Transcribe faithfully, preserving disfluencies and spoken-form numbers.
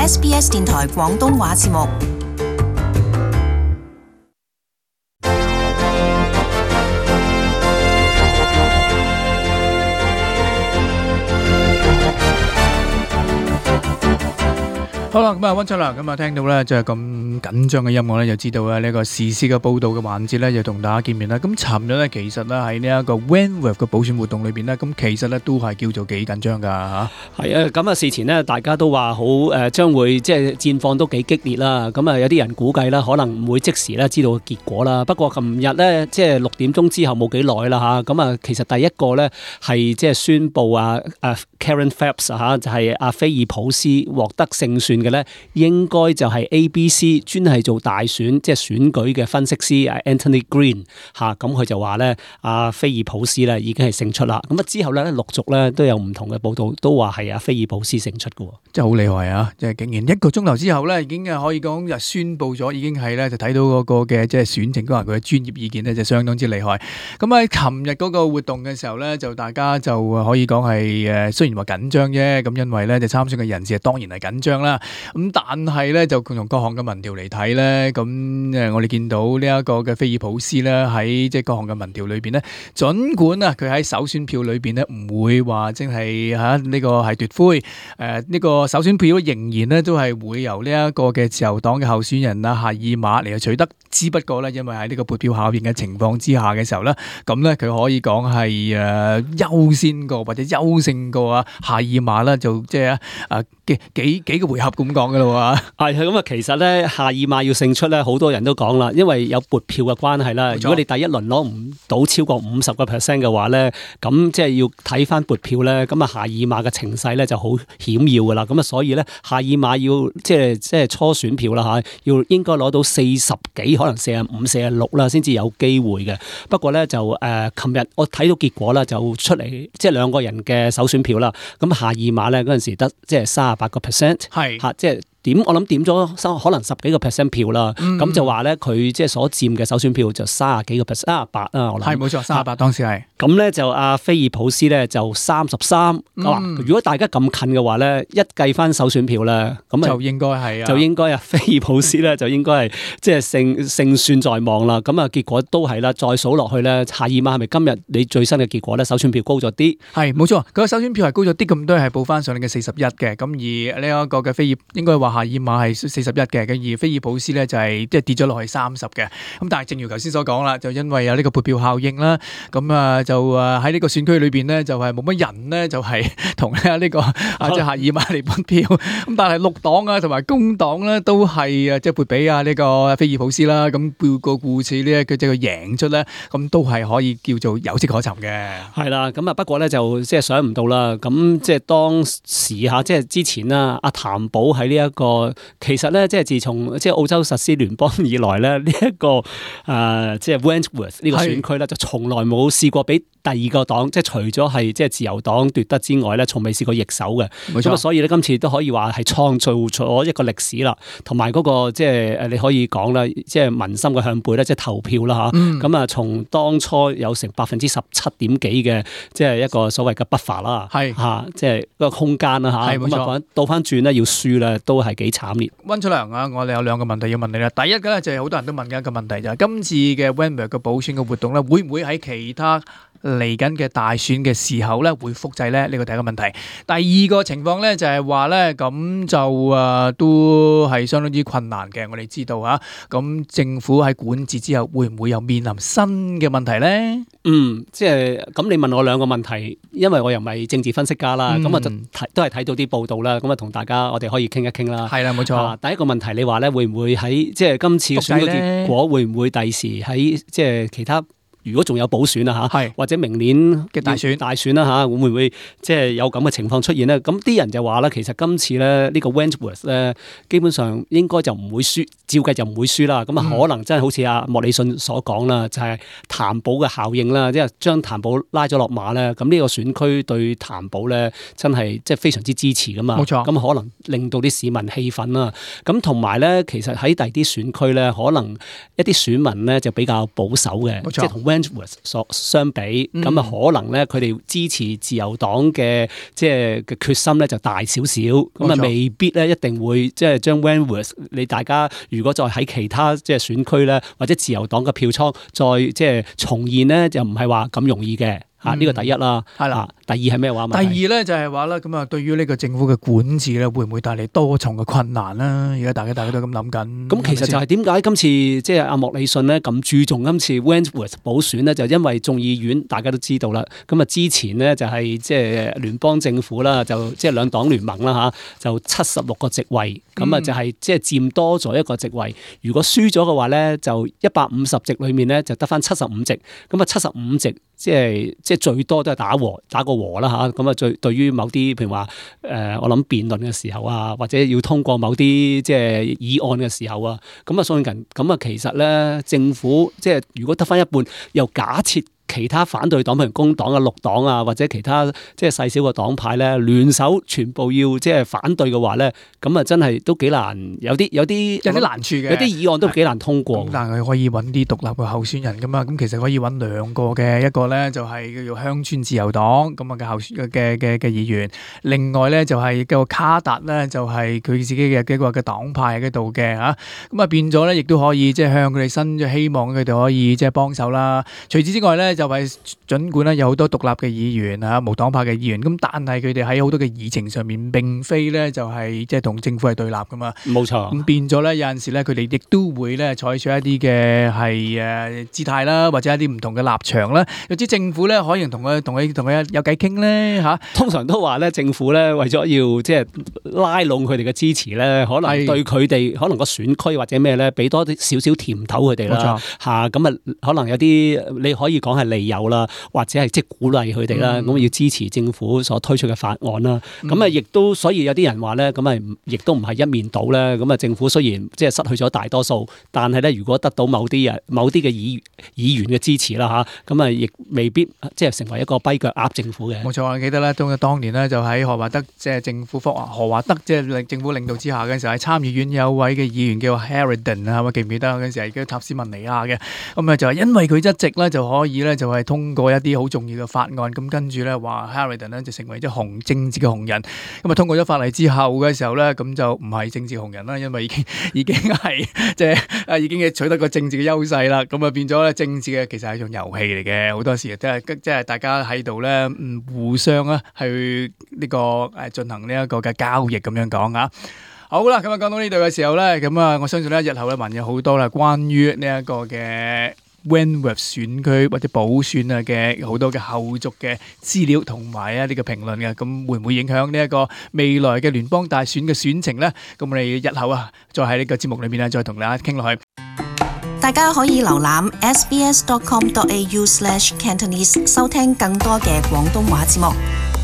S B S 電台廣東話節目。好啦，咁啊溫出啦，咁啊聽到咧就係咁緊張嘅音樂咧，就知道咧呢個時事嘅報導嘅環節咧，就同大家見面啦。咁尋日咧其實咧喺呢一個 Wentworth 嘅補選活動裏邊咧，咁其實咧都係叫做幾緊張㗎嚇。係啊，咁啊事前咧大家都話好誒，將會即係戰況都幾激烈啦。咁啊有啲人估計啦，可能唔會即時咧知道結果啦。不過琴日咧即係六點鐘之後冇幾耐啦嚇，咁啊其實第一個咧係即係宣布啊誒 Karen Phelps 嚇，就係阿菲爾普斯獲得勝算嘅咧，應該就係 A B C 專係做大選即係選舉嘅分析師 Anthony Green 嚇，咁佢就話咧阿菲爾普斯咧已經係勝出啦。咁啊之後咧陸續咧都有唔同嘅報道，都話係阿菲爾普斯勝出嘅，真係好厲害啊！即係竟然一個鐘頭之後咧，已經係可以講就宣佈咗，已經係咧就睇到嗰個嘅即係選情，嗰人佢嘅專業意見咧就相當之厲害。咁喺琴日嗰個活動嘅時候咧，就大家就可以講係誒雖然話緊張啫，咁因為咧就參選嘅人士當然係緊張啦。咁但係咧就從各項嘅民調嚟睇咧，咁誒我哋見到呢一個嘅菲爾普斯咧喺即係各項嘅民調裏邊咧，儘管啊佢喺首選票裏邊咧唔會話真係嚇呢個係奪灰，誒呢個首選票仍然咧都係會由呢一個嘅自由黨嘅候選人啊夏爾馬嚟去取得，只不過咧因為喺呢個撥票效應嘅情況之下嘅時候咧，咁咧佢可以講係誒優先過或者優勝過啊夏爾馬啦，就即係啊幾幾幾個回合咁講噶啦喎。係咁啊，其實咧夏爾馬要勝出咧，好多人都講啦，因為有撥票嘅關係啦。如果你第一輪攞唔到超過五十個 percent 嘅話咧，咁即係要睇翻撥票咧，咁啊夏爾馬嘅情勢咧就好險要噶啦。咁啊，所以咧夏爾馬要即係即係初選票啦嚇，要應該攞到四十幾，可能四十五、四十六啦，先至有機會嘅。不過咧就誒，琴日我睇到結果啦，就出嚟即係兩個人嘅首選票啦。咁夏爾馬咧嗰陣時得即係三十八個 percent， 係嚇，即係。點我諗點咗可能十幾個 percent 票啦，咁、嗯、就話咧佢即係所佔嘅首選票就三十幾個 percent， 三十八啦，我諗係冇錯，三十八當時係。咁咧就阿菲爾普斯咧就三十三。如果大家咁近嘅話咧，一計翻首選票咧，咁就應該係啊，就應該啊菲爾普斯咧就應該係即係勝勝算在望啦。咁啊結果都係啦，再數落去咧，夏爾馬係咪今日你最新嘅結果咧？首選票高咗啲，係冇錯，佢個首選票係高咗啲咁多，係報翻上嚟嘅四十一嘅。咁而呢一個嘅菲爾應該話。夏爾馬係四十一嘅，咁而菲爾普斯咧就係即係跌咗落去三十嘅。咁但係正如頭先所講啦，就因為有呢個撥票效應啦，咁啊就啊喺呢個選區裏邊咧就係冇乜人咧就係同咧呢個啊即係夏爾馬嚟撥票。咁但係綠黨啊同埋工黨咧都係啊即係撥俾啊呢個菲爾普斯啦。咁報個故事咧佢即係佢贏出咧，咁都係可以叫做有跡可尋嘅。係啦，咁啊不過咧就即係想唔到啦。咁即係當時下即係之前啦，阿譚寶喺呢一個。其實咧，即係自從即係澳洲實施聯邦以來咧，呢、這、一個誒、呃、即係 Wentworth 呢個選區咧，就從來冇試過俾第二個黨，即係除咗係即係自由黨奪得之外咧，從未試過易手嘅。咁啊，所以咧今次都可以話係創造咗一個歷史啦，同埋嗰個即係誒你可以講啦，即係民心嘅向背咧，即係投票啦嚇。咁啊、嗯，從當初有成百分之十七點幾嘅，即係一個所謂嘅 buffer 啦，係嚇，即係個空間啦嚇。咁啊，倒翻轉咧要輸咧，都係幾慘烈。溫出良啊，我哋有兩個問題要問你啦。第一個咧就係好多人都問緊一個問題，就係今次嘅 Wentworth 嘅補選嘅活動咧，會唔會喺其他嚟緊嘅大選嘅時候咧會複製咧？呢個第一個問題。第二個情況咧就係話咧，咁就誒都係相當之困難嘅。我哋知道嚇，咁政府喺管治之後會唔會又面臨新嘅問題咧？嗯，即係咁你問我兩個問題，因為我又唔係政治分析家啦，咁、嗯、我就睇都係睇到啲報道啦，咁啊同大家我哋可以傾一傾啦。係啦，冇錯、啊。第一個問題你話咧，會唔會喺即係今次嘅選舉結果會唔會第時喺即係其他？如果仲有補選啊嚇，或者明年嘅大選大選啦嚇，會唔會即係有咁嘅情況出現咧？咁啲人就話咧，其實今次咧呢個 Wentworth 咧，基本上應該就唔會輸，照計就唔會輸啦。咁啊，可能真係好似阿莫里遜所講啦，就係譚寶嘅效應啦，即係將譚寶拉咗落馬咧。咁呢個選區對譚寶咧真係即係非常之支持噶嘛。冇錯。咁可能令到啲市民氣憤啦。咁同埋咧，其實喺第啲選區咧，可能一啲選民咧就比較保守嘅，即係同 Wentworth 所相比，咁啊、嗯、可能咧佢哋支持自由黨嘅即係嘅決心咧就大少少，咁啊未必咧一定會即係將 Wentworth 你大家如果再喺其他即係選區咧或者自由黨嘅票倉再即係重現咧，就唔係話咁容易嘅。啊！呢個第一啦，係啦。第二係咩話？第二咧就係話啦，咁啊，對於呢個政府嘅管治咧，會唔會帶嚟多重嘅困難啦？而家大家大家都咁諗緊。咁其實就係點解今次即係阿莫里遜咧咁注重今次 Wentworth 補選咧？就因為眾議院大家都知道啦。咁啊，之前咧就係即係聯邦政府啦，就即係兩黨聯盟啦嚇，就七十六個席位，咁啊就係即係佔多咗一個席位。如果輸咗嘅話咧，就一百五十席裏面咧就得返七十五席。咁啊，七十五席。即係即係最多都係打和打個和啦嚇，咁啊最對於某啲譬如話誒、呃，我諗辯論嘅時候啊，或者要通過某啲即係議案嘅時候啊，咁啊相近咁啊，其實咧政府即係如果得返一半，又假設。其他反對黨譬如工黨啊、綠黨啊，或者其他即係細小嘅黨派咧，聯手全部要即係反對嘅話咧，咁啊真係都幾難，有啲有啲有啲難處嘅，有啲議案都幾難通過。但係可以揾啲獨立嘅候選人噶嘛，咁其實可以揾兩個嘅，一個咧就係叫做鄉村自由黨咁啊嘅候選嘅嘅嘅議員，另外咧就係個卡達咧就係佢自己嘅幾個嘅黨派喺度嘅嚇，咁啊變咗咧亦都可以即係向佢哋伸咗希望佢哋可以即係幫手啦。除此之外咧。就係儘管咧有好多獨立嘅議員啊，無黨派嘅議員，咁但係佢哋喺好多嘅議程上面並非咧就係即係同政府係對立噶嘛。冇錯。咁變咗咧有陣時咧佢哋亦都會咧採取一啲嘅係誒姿態啦，或者一啲唔同嘅立場啦。有啲政府咧可以同佢同佢同佢有偈傾咧嚇。通常都話咧政府咧為咗要即係拉攏佢哋嘅支持咧，可能對佢哋可能個選區或者咩咧俾多啲少少甜頭佢哋啦。冇錯。嚇咁啊，可能有啲你可以講係利誘啦，或者係即係鼓勵佢哋啦，咁、嗯、要支持政府所推出嘅法案啦。咁啊、嗯，亦都所以有啲人話咧，咁啊，亦都唔係一面倒咧。咁啊，政府雖然即係失去咗大多數，但係咧，如果得到某啲人、某啲嘅議議員嘅支持啦嚇，咁啊，亦未必即係成為一個跛腳鴨政府嘅。冇錯，我記得咧，當當年咧就喺何華德即係政府何華德即係政府領導之下嘅時候，喺參議院有位嘅議員叫 Harrington 啊，記唔記得嗰陣時係叫塔斯文尼亞嘅？咁啊，就係因為佢一直咧就可以咧就係通過一啲好重要嘅法案，咁跟住咧話 Harrington 咧就成為咗紅政治嘅紅人。咁啊通過咗法例之後嘅時候咧，咁就唔係政治紅人啦，因為已經已經係即係啊已經係取得個政治嘅優勢啦。咁啊變咗咧政治嘅其實係一種遊戲嚟嘅，好多時即係即係大家喺度咧嗯互相啊去呢個誒進行呢一個嘅交易咁樣講啊。好啦，咁啊講到呢度嘅時候咧，咁啊我相信咧日後咧還有好多啦關於呢一個嘅Wentworth 選區或者補選啊嘅好多嘅後續嘅資料同埋一啲嘅評論嘅，咁會唔會影響呢一個未來嘅聯邦大選嘅選情呢？咁我哋日後啊，再喺呢個節目裏面啊，再同大家傾落去。大家可以瀏覽 s b s dot com dot a u slash cantonese 收聽更多嘅廣東話節目。